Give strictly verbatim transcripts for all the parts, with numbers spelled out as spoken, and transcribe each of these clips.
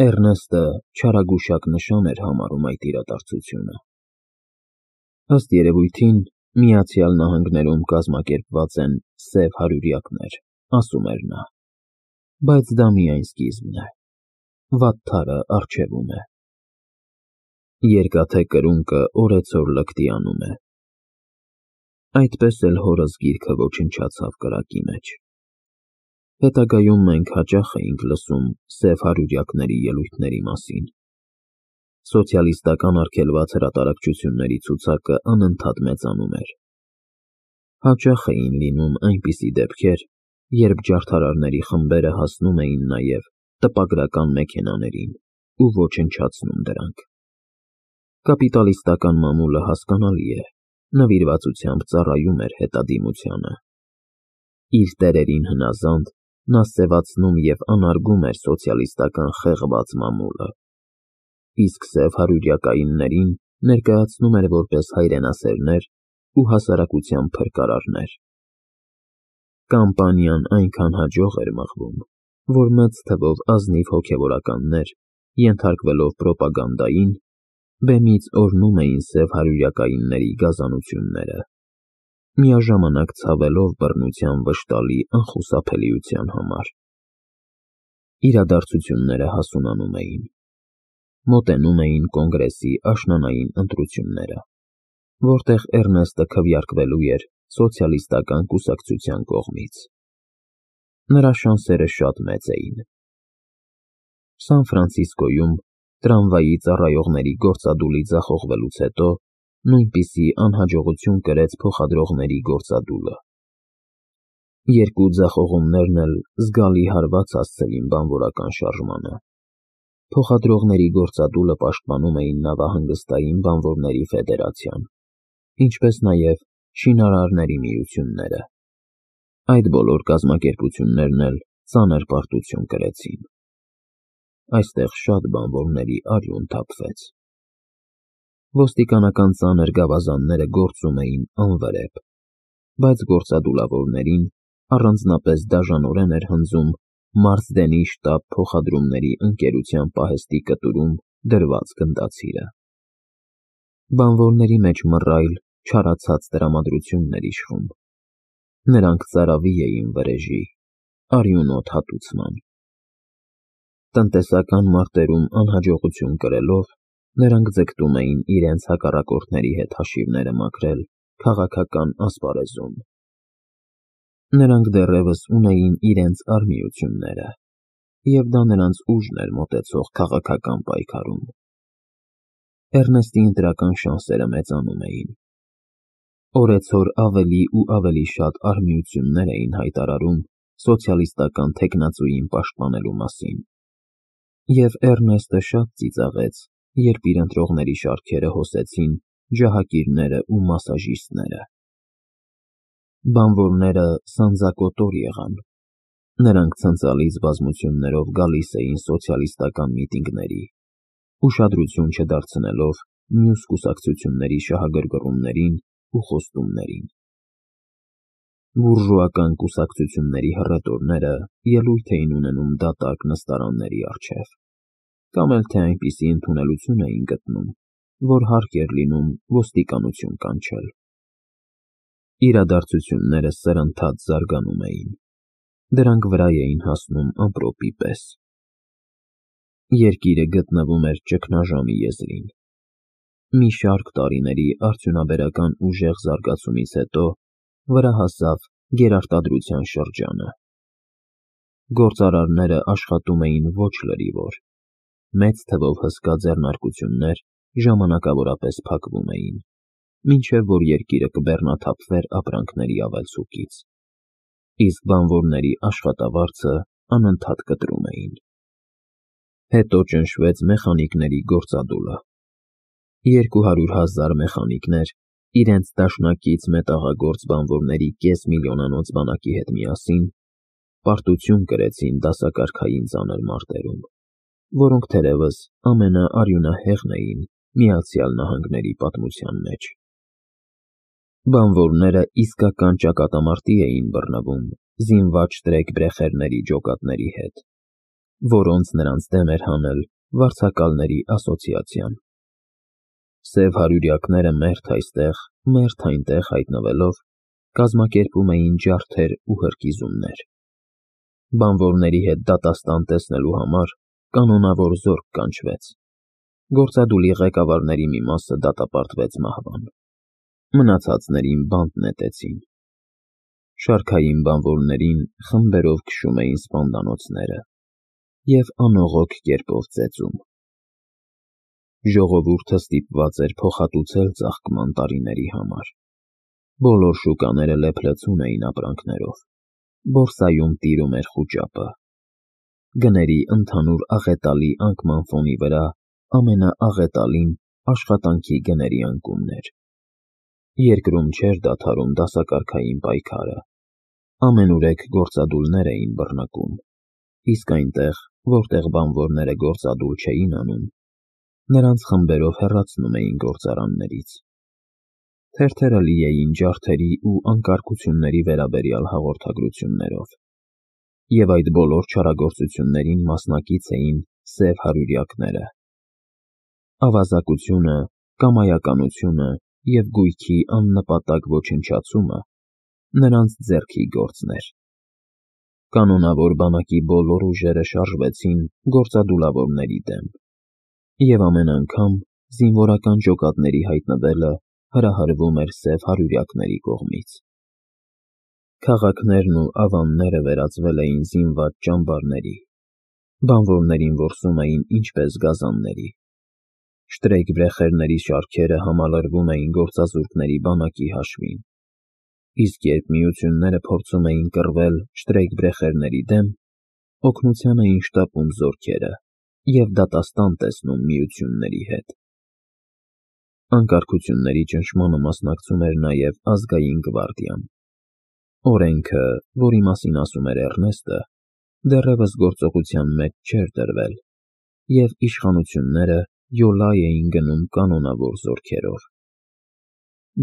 Էռնեստը չարագուշակ նշան էր համարում այդ իրադարձությունը։ Ըստ երևույթին, Միացյալ Նահանգներում կազմակերպված են սև հարյուրյակներ, ասում էր նա, բայց դա միայն սկիզբն է, վատթարը առջևում է։ Երկաթե կրունկը օրեցօր լկտի անում է։ Այդպես էլ հորս գիրքը ոչնչացավ կրակի մեջ։ Հետագայում մենք հաճախ էինք լսում սև հարյուրյակների ելույթների մասին։ Սոցիալիստական արգելված հրատարակչությունների ցուցակը անընդհատ մեծանում էր։ Հաճախ էին լինում այնպիսի դեպքեր, երբ ջարդարարների խմբերը հասնում էին նաև տպագրական մեքենաներին ու ոչնչացնում դրանք։ Կապիտալիստական մամուլը, հասկանալի է, նվիրվածությամբ ծառայում էր հետադիմությանը։ Իր տերերին հնազանդ, նա սևացնում և անարգում էր սոցիալիստական խեղված մամուլը, իսկ սև հարյուրյակայիններին ներկայացնում էր որպես հայրենասերներ ու հասարակության փրկարարներ։ Կամպանիան այնքան հաջող էր մղվում, որ մեծ թվով ազնիվ հոգևորականներ, ենթարկվելով պրոպագանդային, բեմից օրհնում էին սև հարյուրյակայինների գազանությունները, միաժամանակ ցավելով բռնության վշտալի անխուսափելիության համար։ Իրադարձությունները հասունանում էին։ Մոտենում էին կոնգրեսի աշնանային ընտրությունները, որտեղ Էռնեստը քվեարկվելու էր սոցիալիստական կուսակցության կողմից։ Նրա շանսերը շատ մեծ էին։ Սան Ֆրանցիսկոյում տրամվայի ծառայողների գործադուլի ձախողվելուց հետո նույնպիսի անհաջողություն կրեց փոխադրողների գործադուլը։ Երկու ձախողումներն էլ զգալի հարված հասցրին բանվորական շարժմանը։ Փոխադրողների գործադուլը պաշտպանում էին նավահանգստային բանվորների ֆեդերացիան, ինչպես նաև շինարարների միությունները։ Այդ բոլոր կազմակերպություններն էլ ծանր պարտություն կրեցին։ Այստեղ շատ բանվորների արյուն թափվեց։ Ոստիկանական ծանր գավազանները գործում էին անվրեպ, բայց գործադուլավորներին առանձնապես դաժանորեն էր հնձում Մարսդենի շտապ փոխադրումների ընկերության պահեստի կտուրում դրված գնդացիրը։ Բանվորների մեջ մռայլ, չարացած տրամադրությունն էր իշխում։ Նրանք ծարավի էին վրեժի, արյունոտ հատուցման։ Տնտեսական մարտերում անհաջողություն կրելով, նրանք ձգտում էին իրենց հակառակորդների հետ հաշիվները մաքրել քաղաքական ասպարեզում։ Նրանք դեռևս ունեին իրենց արհմիությունները, և դա նրանց ուժն էր մոտեցող քաղաքական պայքարում։ Էռնեստի ընտրական շանսերը մեծանում էին։ Օրեցօր ավելի ու ավելի շատ արհմիություններ էին հայտարարում սոցիալիստական թեկնածուին պաշտպանելու մասին, և Էռնեստը շատ ծիծաղեց, երբ իր ընտրողների շարքերը հոսեցին ջահակիրները ու մասաժիստները։ Բանվորները սանձակոտոր եղան։ Նրանք ցնցալից բազմություններով գալիս էին սոցիալիստական միտինգների, ուշադրություն չդարձնելով մյուս կուսակցությունների շահագրգռումներին ու խոստումներին։ Բուրժուական կուսակցությունների հռետորները ելույթ էին ունենում դատարկ նստարանների առջև, կամ էլ թե այնպիսի ընդունելություն էին գտնում, որ հարկ էր լինում ոստիկանություն կանչել։ Իրադարձությունները սրընթաց զարգանում էին։ Դրանք վրա էին հասնում ամպրոպի պես։ Երկիրը գտնվում էր ճգնաժամի եզրին։ Մի շարք տարիների արդյունաբերական ուժեղ զարգացումից հետո վրա հասավ գերարտադրության շրջանը։ Գործարարները աշխատում էին ոչ լրիվոր։ Մեծ թվով հսկա ձեռնարկություններ ժամանակավորապես փակվում էին, մինչև որ երկիրը կբեռնաթափվեր ապրանքների ավելցուկից, իսկ բանվորների աշխատավարձը անընդհատ կտրում էին։ Հետո ճնշվեց մեխանիկների գործադուլը։ Երկու հարյուր հազար մեխանիկներ իրենց դաշնակից մետաղագործ բանվորների կես միլիոնանոց բանակի հետ միասին պարտություն կրեցին դասակարգային ծանր մարտերում, որոնք թերևս ամենաարյունահեղն էին Միացյալ Նահանգների պատմության մեջ։ Բանվորները իսկական ճակատամարտի էին բռնվում զինված շտրեքբրեխերների ջոկատների հետ։ որոնց նրանց դեմ էր հանել վարձակալների ասոցիացիան։ Սև հարյուրյակները մերթ այստեղ, մերթ այնտեղ հայտնվելով, կազմակերպում էին ջարդեր ու հրկիզումներ։ Բանվորների հետ դատաստան տեսնելու համար կանոնավոր զորք կանչվեց։ Գործադուլի ղեկավարների մի մասը դատապարտվեց մահվան։ Մնացածներին բանտ նետեցին։ Շարքային բանվորներին խմբերով քշում էին սպանդանոցները և անողոք կերպով ծեծում։ Ժողովուրդը ստիպված էր փոխհատուցել ծաղկման տարիների համար։ Բոլոր շուկաները լեփլեցուն էին ապրանքներով։ Բորսայում տիրում էր խուճապը։ Գների ընդհանուր աղետալի անկման ֆոնի վրա ամենաաղետալին աշխատանքի գների անկումն էր։ Երկրում չէր դադարում դասակարգային պայքարը։ Ամենուրեք գործադուլներ էին բռնկում, իսկ այնտեղ, որտեղ բանվորները գործադուլ չէին անում, նրանց խմբերով հեռացնում էին գործարաններից։ Թերթերը լի էին ջարդերի ու անկարգությունների վերաբերյալ հաղորդագրություններով, և այդ բոլոր չարագործություններին մասնակից էին սև հարյուրյակները։ Ավազակությունը, կամայականությունը և գույքի աննպատակ ոչնչացումը նրանց ձեռքի գործն էր։ Կանոնավոր բանակի բոլոր ուժերը շարժվեցին գործադուլավորների դեմ, և ամեն անգամ զինվորական ջոկատների հայտնվելը հրահրվում էր սև հարյուրյակների կողմից։ Քաղաքներն ու ավանները վերածվել էին զինված ճամբարների։ Բանվորներին որսում էին ինչպես գազանների։ Շտրեյկվրեխերների շարքերը համալրվում էին գործազուրկների բանակի հաշվին, իսկ երբ միությունները փորձում էին կռվել շտրեյկվրեխերների դեմ, օգնության էին շտապում զորքերը և դատաստան տեսնում միությունների հետ։ Անկարգությունների ճնշմանը մասնակցում էր նաև ազգային գվարդիան։ Օրենքը, որի մասին ասում էր Էռնեստը, դեռևս գործողության մեջ չէր դրվել, և իշխանությունները յոլա էին գնում կանոնավոր զորքերով։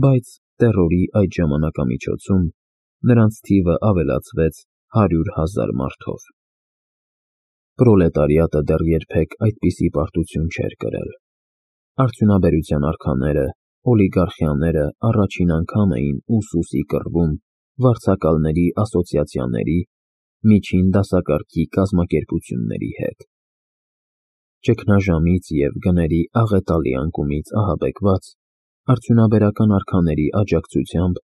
Բայց տերորի այդ ժամանակամիջոցում նրանց թիվը ավելացվեց հարյուր հազար մարդով։ Պրոլետարիատը դեռ երբեք այդպիսի պարտություն չէր կրել։ Արդյունաբերության արքաները, օլիգարխիաները առաջին անգամ էին ուսուսի կռվում վարձակալների ասոցիացիաների, միջին դասակարգի կազմակերպությունների հետ։ Ճգնաժամից և գների աղետալի անկումից ահաբեկված, արդյունաբերական արքաների աջակցությամբ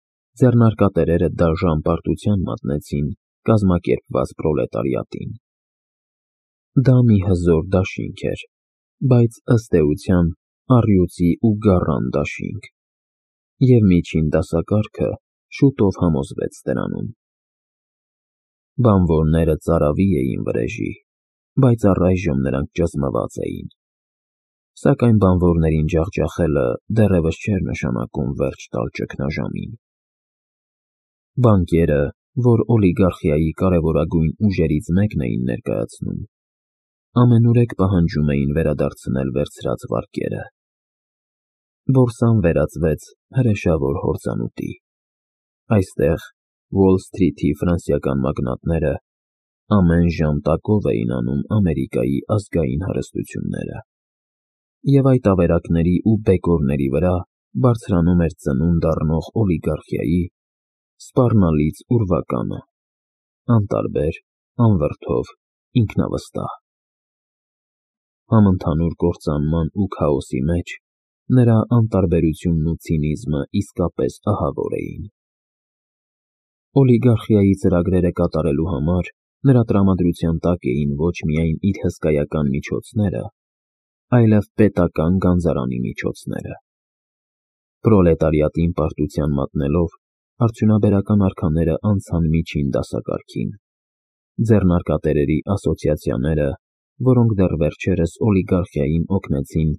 ձեռնարկատերերը դաժան պարտության մատնեցին կազմակերպված պրոլետարիատին։ Դա մի հզոր դաշինք էր, բայց ըստ էության առյուծի ու գառան դաշինք, և միջին դասակարգը շուտով համոզվեց դրանում։ Բանվորները ծարավի էին վրեժի, բայց առայժմ նրանք ճզմված էին։ Սակայն բանվորներին ջախջախելը դեռևս չէր նշանակում վերջ տալ ճգնաժամին։ Բանկերը, որ օլիգարխիայի կարևորագույն ուժերից մեկն էին ներկայացնում, ամենուրեք պահանջում էին վերադարձնել վերցրած վարկերը։ Բորսան վերածվեց հրեշավոր հորձանուտի։ Այստեղ Ուոլ Սթրիթի ֆրանսիական մագնատները ամեն ժամ տակով էին անում Ամերիկայի ազգային հարստությունները, և այդ ավերակների ու բեկորների վրա բարձրանում էր ծնունդ առնող օլիգարխիայի սպառնալից ուրվականը՝ անտարբեր, անվրդով, ինքնավստահ։ Համընդհանուր կործանման ու քաոսի մեջ նրա անտարբերությունն ու ցինիզմը իսկապես ահավոր էին։ Օլիգարխիայի ծրագրերը կատարելու համար նրա տրամադրության տակ էին ոչ միայն իր հսկայական միջոցները, այլև պետական գանձարանի միջոցները։ Պրոլետարիատին պարտության մատնելով, արդյունաբերական արքաները անցան միջին դասակարգին։ Ձեռնարկատերերի ասոցիացիաները, որոնք դեռ վերջերս օլիգարխիային օգնեցին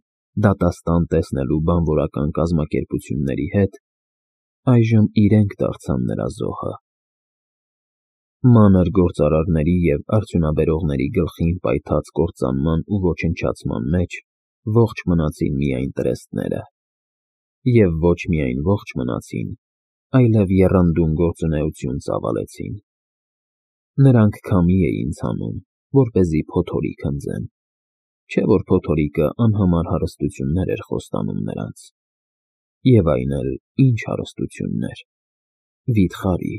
դատաստան տեսնելու բանվորական կազմակերպությունների հետ, այժմ իրենք դարձան նրա զոհը։ Մանր գործարարների և արդյունաբերողների գլխին պայթած կործանման ու ոչնչացման մեջ ողջ մնացին միայն տրեստները։ Եվ ոչ միայն ողջ մնացին, այլև եռանդուն գործունեություն ծավալեցին։ Նրանք քամի էին ցանում, որպեսզի փոթորիկ հնձեն, չէ որ փոթորիկը անհամար հարստություններ էր խոստանում նրանց, և այն էլ ինչ հարստություններ, վիթխարի։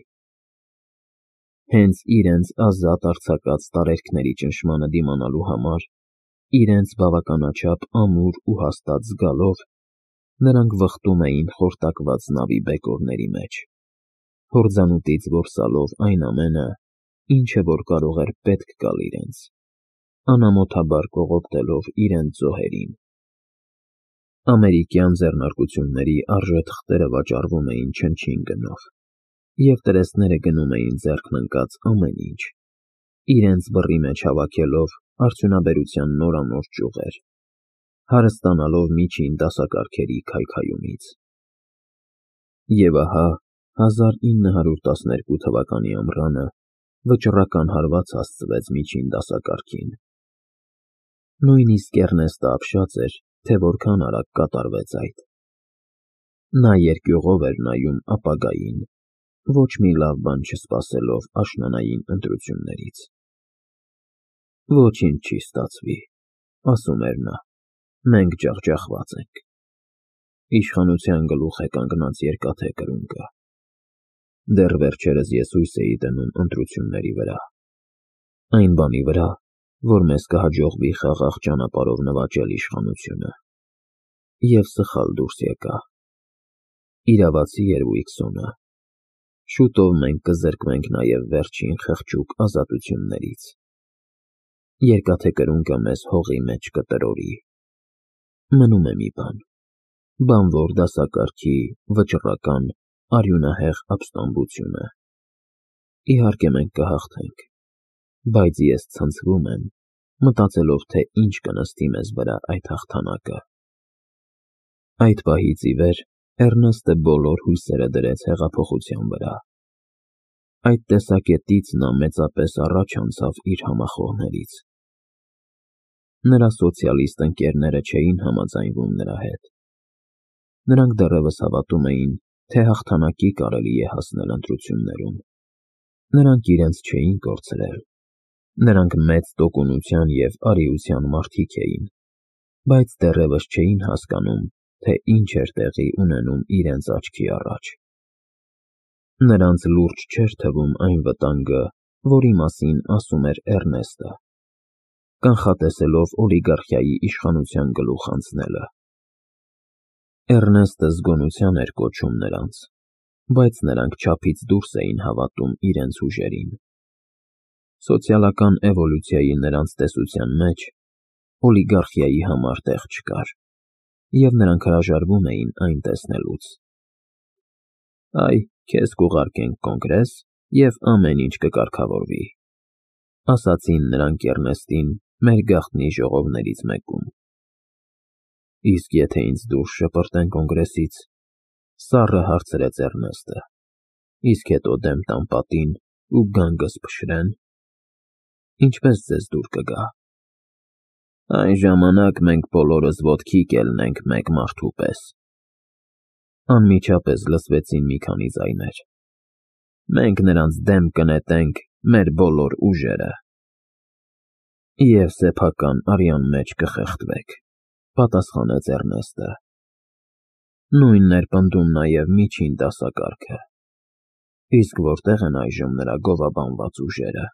Հենց իրենց ազատ արձակած տարերքների ճնշմանը դիմանալու համար, իրենց բավականաչափ ամուր ու հաստատ զգալով, նրանք վխտում էին խորտակված նավի բեկորների մեջ, հորձանուտից որսալով այն ամենը, ինչը որ կարող էր պետք գալ իրենց, անամոթաբար կողոպտելով իրենց զոհերին։ Ամերիկյան ձեռնարկությունների արժեթղթերը վաճառվում էին չնչին գնով, և տրեստները գնում էին ձեռքն ընկած ամեն ինչ, իրենց բռի մեջ հավաքելով արդյունաբերության նորանոր ճյուղեր, հարստանալով միջին դասակարգերի քայքայումից։ Եվ ահա հազար ինը հարյուր տասներկու թվականի ամռանը վճռական հարված հասցվեց միջին դասակարգին։ Նույնիսկ Էռնեստը ապշած էր, թե որքան արագ կատարվեց այդ։ Նա երկյուղով էր նայում ապագային, ոչ մի լավ բան չսպասելով աշնանային ընտրություններից։ «Ոչինչ չի ստացվի», ասում էր նա, «մենք ջախջախված ենք։ Իշխանության գլուխ է կանգնած Երկաթե Կրունկը։ Դեռ վերջերս ես հույս էի դնում ընտրությունների վրա, այն բանի վրա, որ մեզ կհաջողվի խաղաղ ճանապարհով նվաճել իշխանությունը։ Եվ սխալ դուրս եկա։ Իրավացի էր Ուիլսոնը։ Շուտով մենք կզրկվենք նաև վերջին խղճուկ ազատություններից։ Երկաթե Կրունկը մեզ հողի մեջ կտրորի։ Մնում է մի բան, բանվոր դասակարգի վճռական, արյունահեղ ապստամբությունը։ Իհարկե մենք կհաղթենք, բայց ես ցնցվում եմ, մտածելով, թե ինչ կնստի մեզ վրա այդ հաղթանակը»։ Այդ պահից ի վեր Էռնեստը բոլոր հույսերը դրեց հեղափոխության վրա։ Այդ տեսակետից նա մեծապես առաջ անցավ իր համախոհներից։ Նրա սոցիալիստ ընկերները չէին համաձայնվում նրա հետ։ Նրանք դեռևս հավատում էին, թե հաղթանակի կարելի է հասնել ընտրություններում։ Նրանք իրենց չէին կորցրել։ Նրանք մեծ տոկունության և արիության մարդիկ էին, բայց դեռևս չէին հասկանում, թե ինչ էր տեղի ունենում իրենց աչքի առաջ։ Նրանց լուրջ չէր թվում այն վտանգը, որի մասին ասում էր Էռնեստը, կանխատեսելով օլիգարխիայի իշխանության գլուխ անցնելը։ Էռնեստը զգոնության էր կոչում նրանց, բայց նրանք չափից դուրս էին հավատում իրենց ուժերին։ Սոցիալական էվոլյուցիայի նրանց տեսության մեջ օլիգարխիայի համար տեղ չկար, և նրանք հրաժարվում էին այն տեսնելուց։ «Այ, քեզ կուղարկենք Կոնգրես, և ամեն ինչ կկարգավորվի», ասացին նրանք Էռնեստին մեր գաղտնի ժողովներից մեկում։ «Իսկ եթե ինձ դուրս շպրտեն Կոնգրեսից», սառը հարցրեց Էռնեստը, «իսկ հետո դեմ տան պատին ու գանգս փշրեն, ինչպե՞ս ձեզ դուր կգա»։ «Այն ժամանակ մենք բոլորս ոտքի կելնենք մեկ մարդու պես», անմիջապես լսվեցին մի քանի ձայներ։ «Մենք նրանց դեմ կնետենք մեր բոլոր ուժերը»։ «Եվ սեփական արյան մեջ կխեղդվեք», պատասխանեց Էռնեստը։ Նույնն էր պնդում նաև միջին դասակարգը։ Իսկ որտե՞ղ են այժմ նրա գովաբանված ուժերը։